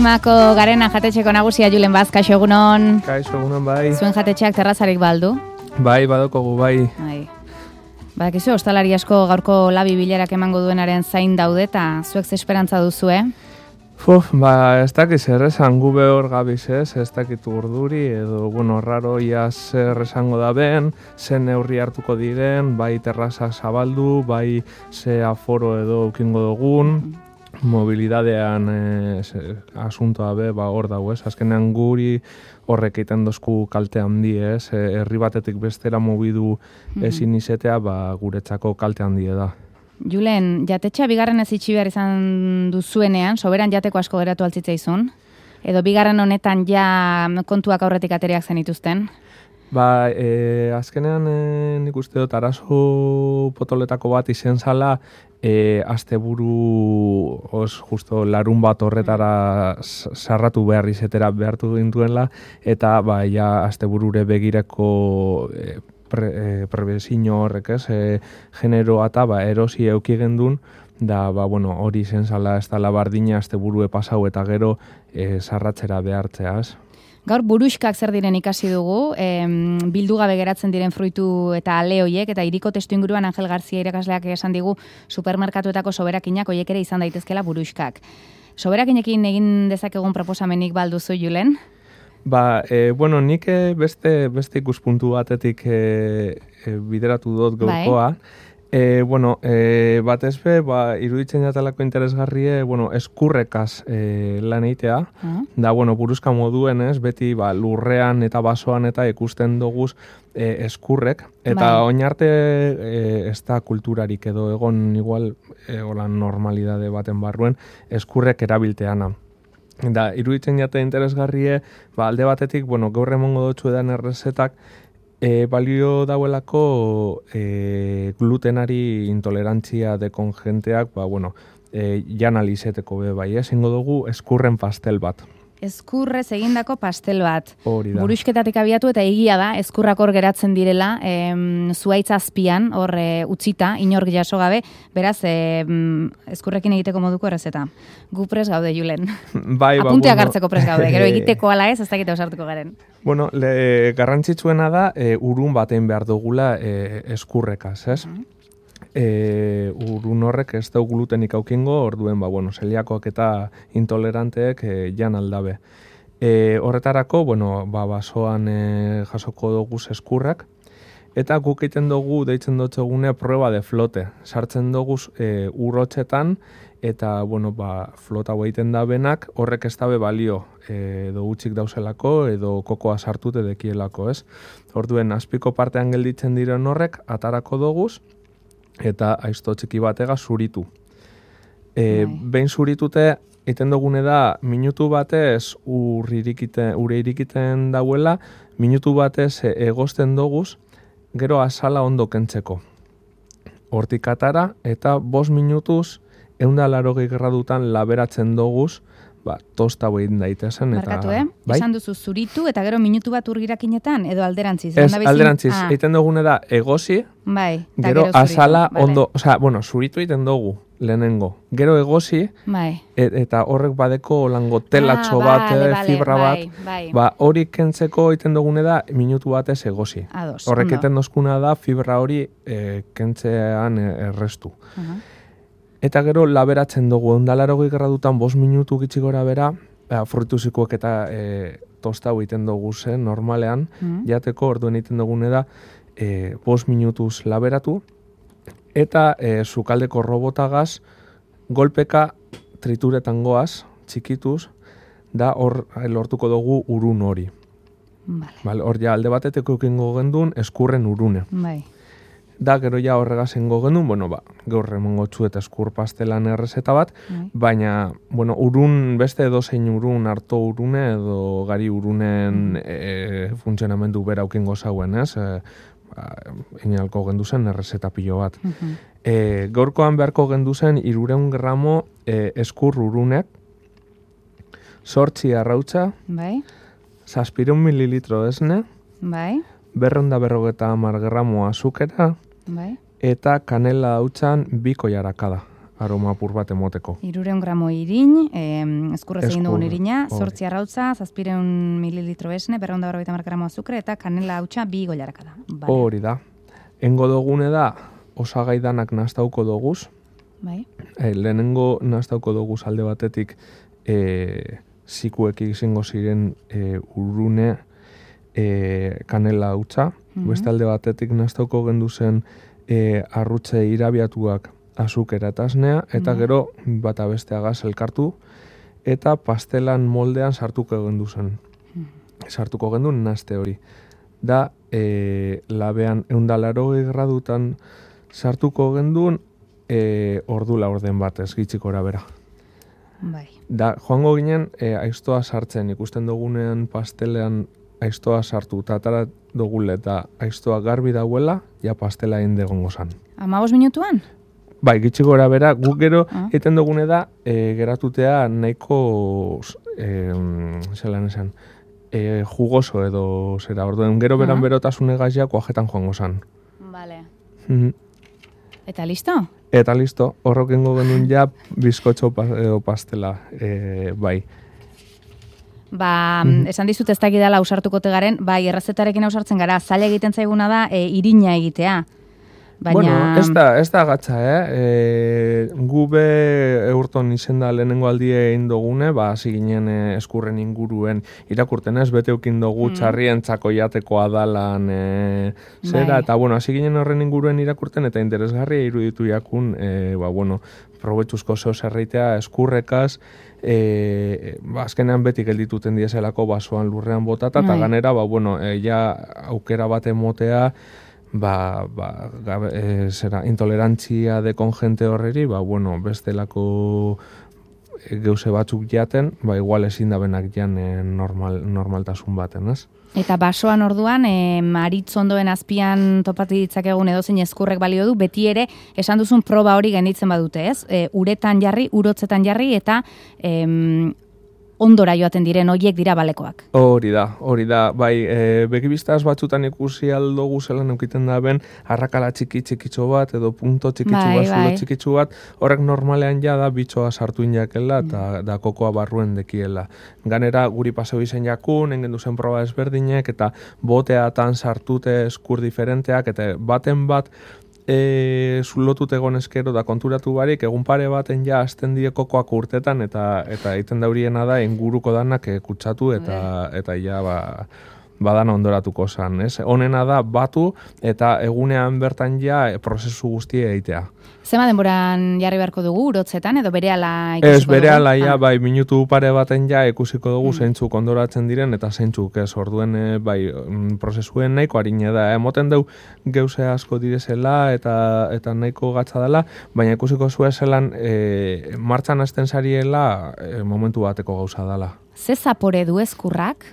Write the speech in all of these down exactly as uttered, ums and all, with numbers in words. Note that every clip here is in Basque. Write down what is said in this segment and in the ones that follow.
Limako Garena jatetxeko nagusia Julen Baz, kaixo egunon. Kaixo egunon bai. Zuen jatetxeak terrazarik baldu? Bai, badokogu bai. Bai. Badakizu, ostalari asko gaurko labi bilerak emango duenaren zain daude eta zuek ze esperantza duzue? Uf, ba, ez dakit zer esan gu behor gabiz ez, ez dakit urduri edo, bueno, raro ia zer esango da ben, ze neurri hartuko diren, bai terrazak zabaldu, bai ze aforo edo ukingo dugun, mobilidadean eh, asuntoa be, ba, hor dago ez, azkenean guri horrek egiten dozku kalte handi ez, herri batetik bestera mobidu ezin izetea, ba, guretzako kalte handi da. Julen, jatetxa bigarren ez itxi behar izan duzuenean, soberan jateko asko geratu altzitzaizun? Edo bigarren honetan ja kontuak aurretik ateriak zenituzten? Ba, e, azkenean e, nik uste dut arazo potoletako bat izen zala, e, asteburu os justo larun bat horretara sarratu behar izetera behartu gintuenla, eta ba, ja asteburure begireko e, pre, e, prebezino horrek ez, e, generoa eta ba, erosi euki gendun, da, ba, bueno, hori izen zala ez dala bardina asteburue pasau eta gero e, sarratzera behartzeaz. Gaur buruxkak zer diren ikasi dugu, em, bildu gabe geratzen diren fruitu eta ale hoiek, eta hiriko testu inguruan Angel Garzia irakasleak esan digu supermerkatuetako soberakinak hoiek ere izan daitezkela buruxkak. Soberakinekin egin dezakegun proposamenik balduzu, Julen? Ba, e, bueno, nik beste, beste ikuspuntu batetik e, e, bideratu dut gaurkoa. Bai. E, bueno, e, batez be, ba, iruditzen jatalako interesgarrie, bueno, eskurrekaz e, lan eitea. Uh-huh. Da, bueno, buruzka moduen ez, beti ba, lurrean eta basoan eta ikusten doguz e, eskurrek. Eta bai. Oin arte e, ez da kulturarik edo egon igual e, holan normalidade baten barruen eskurrek erabilteana. Da, iruditzen jate interesgarrie, ba, alde batetik, bueno, gaur emongo dutxu edan errezetak, E, balio dauelako e, glutenari intolerantzia dekon jenteak, ba, bueno, e, jan alizeteko be bai, ezingo dugu eskurren pastel bat. Eskurrez egindako pastel bat. Hori da. Buruxketatik abiatu eta egia da, eskurrak hor geratzen direla, em, zuaitz azpian, hor e, utzita, inork jaso gabe, beraz, e, eskurrekin egiteko moduko errezeta. Gu pres gaude, Julen. Bai, ba, Apunteak bueno, hartzeko pres gaude, gero egiteko ala ez, ez dakite osartuko garen. Bueno, le, garrantzitsuena da, e, urun batein behar dugula e, eskurrekaz, ez? Uh-huh. E, urun horrek ez da glutenik aukingo, orduen, ba, bueno, zeliakoak eta intoleranteek e, jan aldabe. E, horretarako, bueno, ba, basoan e, jasoko dugu eskurrak, eta guk egiten dugu, deitzen dutzegune, prueba de flote. Sartzen dugu e, urrotxetan, eta, bueno, ba, flota egiten da benak, horrek ez dabe balio, e, edo utzik dauzelako, edo kokoa sartute dekielako, ez? Orduen, azpiko partean gelditzen diren horrek, atarako doguz, eta aizto txiki batega zuritu. E, behin zuritute, egiten dugune da, minutu batez ur irikiten, ure irikiten dauela, minutu batez egosten doguz, gero azala ondo kentzeko. Hortik atara, eta bost minutuz, eunda larogei gradutan laberatzen doguz, ba, tosta behin daitezen. Markatu, eh? Bai? Esan duzu zuritu eta gero minutu bat urgirakinetan, edo alderantziz? Ez, alderantziz. Ah. Egiten dugune da, egosi, bai, gero, gero azala vale. Ondo, osea, bueno, zuritu egiten dugu, lehenengo. Gero egosi, bai. et, eta horrek badeko lango telatxo ah, bat, vale, vale, fibra bai, bat, bai. Ba, hori kentzeko egiten dugune da, minutu batez egosi. Ados, horrek egiten dozkuna da, fibra hori e, kentzean errestu. Uh-huh. Eta gero laberatzen dugu, ondalarogei gradutan bost minutu gitxi gora bera, fruituzikoak eta e, tosta egiten dugu zen, normalean, mm. jateko orduen egiten dugune da, e, bost minutuz laberatu, eta e, sukaldeko robotagaz, golpeka trituretan goaz, txikituz, da hor lortuko dugu urun hori. Vale. Vale, hor ja alde bateteko ekingo gendun, eskurren urune. Bai. Da, gero ja horregazengo genuen, bueno, ba, gaur emongo txu eta eskur pastelan errezeta bat, mm. baina, bueno, urun, beste edozein urun, harto urune edo gari urunen mm. e, funtzionamendu bera aukingo zauen, ez? E, ba, inalko gendu zen errezeta pilo bat. Mm-hmm. E, gaurkoan beharko gendu zen irureun gramo e, eskur urunek, sortzi arrautza, bai. zazpireun mililitro esne, bai. berrenda berrogeta hamar gramo azukera, bai. eta kanela hautsan biko jarakada aroma apur bat emoteko. Irureun gramo irin, eh, eskurrez egin dugun Eskur, irina, hori. zortzi arrautza, zazpireun mililitro esne, berreunda berrogeita hamar gramo azukre, eta kanela hautsa bi goilaraka da. Vale. Hori da. Engo dugune da, osagai danak nastauko doguz. Bai. E, lehenengo nastauko doguz alde batetik e, zikuek izango ziren e, urrune e, kanela hautsa. Mhm. Beste alde batetik nastauko gendu zen e, arrutze irabiatuak azukera eta esnea, eta Mhm. gero bata besteagaz elkartu, eta pastelan moldean sartuko gendu zen. Sartuko gendu naste hori. Da, e, labean eundalaro gradutan sartuko gendun e, ordu laurden bat ez gitxikora bera. Bai. Da, joango ginen e, aiztoa sartzen, ikusten dugunean pastelean aiztoa sartu, eta atara dugule eta aiztoa garbi dauela, ja pastela egin degongo zan. Amabos minutuan? Bai, gitxi gora bera, guk gero Ah. egiten dugune da, e, geratutea nahiko, e, zelan esan, e, jugoso edo zera, orduen gero beran Ah. berotasune gaziak oajetan joango zan. Vale. Mhm. Eta listo? Eta listo, horrokengo genuen ja bizkotxo pa, edo pastela, e, bai. Ba, Mhm. esan dizut ez dakidala ausartukote garen, bai, errezetarekin ausartzen gara, zaila egiten zaiguna da e, irina egitea. Baina... Bueno, ez da, ez da gatza, eh? E, gu be eurton izenda lehenengo aldie egin dugune, ba, hasi ginen e, eskurren inguruen irakurten ez, bete eukin dugu Mm. txarrientzako jateko adalan e, zera, Bai. eta bueno, hasi ginen horren inguruen irakurten, eta interesgarria iruditu jakun, e, ba, bueno, probetxuzko zeo zerreitea eskurrekaz, e, ba, azkenean beti geldituten dieselako basoan lurrean botata, eta Bai. ganera, ba, bueno, e, ja aukera bat emotea, ba, ba, gabe, e, zera, intolerantzia dekon jente horreri, ba, bueno, bestelako e, geuse batzuk jaten, ba, igual ezin da benak jan e, normal, normaltasun baten, ez? Eta basoan orduan, e, maritz ondoen azpian topatu ditzakegun edozein eskurrek balio du, beti ere esan duzun proba hori genditzen badute, ez? E, uretan jarri, urotzetan jarri, eta em, ondora joaten diren hoiek dira balekoak. Hori da, hori da, bai, e, begibistaz batzutan ikusi aldogu zelan eukiten da ben, arrakala txiki txikitxo bat, edo punto txikitxo Bai, bat, zulo bai. txikitxo bat, horrek normalean ja da bitxoa sartu inakela, eta da kokoa barruen dekiela. Ganera, guri paseo izen jakun, engen duzen proba ezberdinek, eta boteatan sartute eskur diferenteak, eta baten bat, e, zulotut egon eskero da konturatu barik, egun pare baten ja azten die kokoak urtetan, eta eta egiten dauriena da inguruko danak e, kutsatu, eta eta ja ba, badana ondoratuko zan, ez? Honena da batu, eta egunean bertan ja e, prozesu guztia egitea. Zema denboran jarri beharko dugu, urotzetan, edo berehala ikusiko Ez, dugu? berehala ja, Ah. bai, minutu pare baten ja ikusiko dugu zeintzuk ondoratzen diren, eta zeintzuk ez, orduen, e, bai, mm, prozesuen nahiko harine da. Emoten deu geuse asko direzela, eta eta nahiko gatza dela, baina ikusiko zuen zelan, e, martxan hasten zariela, e, momentu bateko gauza dela. Ze zapore du eskurrak?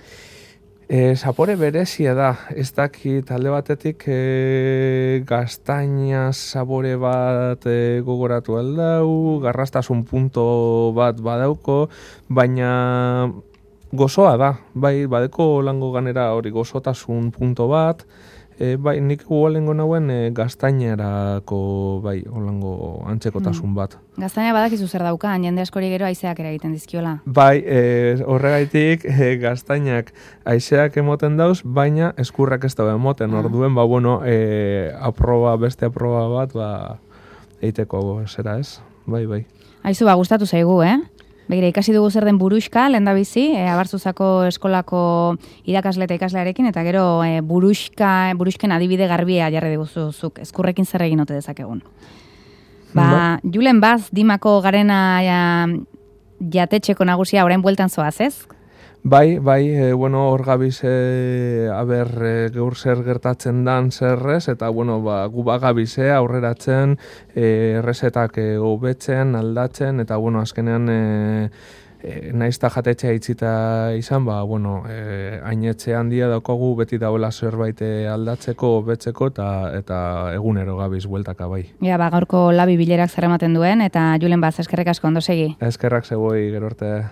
E, zapore berezia da, ez dakit talde batetik e, gaztaina sabore bat e, gogoratu aldau, garrastasun punto bat badauko, baina gozoa da, bai, badeko lango ganera hori gozotasun punto bat, e, bai, nik gualengo nauen e, gaztainerako, bai, holango antzekotasun bat. Gaztaina badakizu zer daukan, jende askori gero haizeak ere egiten dizkiola. Bai, e, horregaitik e, gaztainak haizeak emoten dauz, baina eskurrak ez dago emoten, orduen, ba, bueno, e, aproba, beste aproba bat, ba, eiteko zera ez, bai, bai. Aizu, ba, gustatu zaigu, eh? Begira, ikasi dugu zer den buruxka, lehendabizi, e, Abarzuzako eskolako irakasle eta ikaslearekin, eta gero e, buruxka, buruxken adibide garbia jarri diguzuzuk, eskurrekin zer egin ote dezakegun. Ba, Julen Baz, Dimako garena ja, jatetxeko nagusia orain bueltan zoaz, ez? Bai, bai, e, bueno, hor gabiz, e, aber, e, gaur zer gertatzen dan zerrez, eta, bueno, ba, gu bagabiz, e, aurreratzen, e, errezetak e, hobetzen, aldatzen, eta, bueno, azkenean, e, e, naizta jatetxea itzita izan, ba, bueno, e, hainetxe handia daukagu beti dauela zerbait e, aldatzeko, hobetzeko, eta, eta egunero gabiz bueltaka, bai. Ja, ba, gaurko labi bilerak zer ematen duen, eta Julen Baz, eskerrik asko, ondo segi. Eskerrak zegoi, gero arte.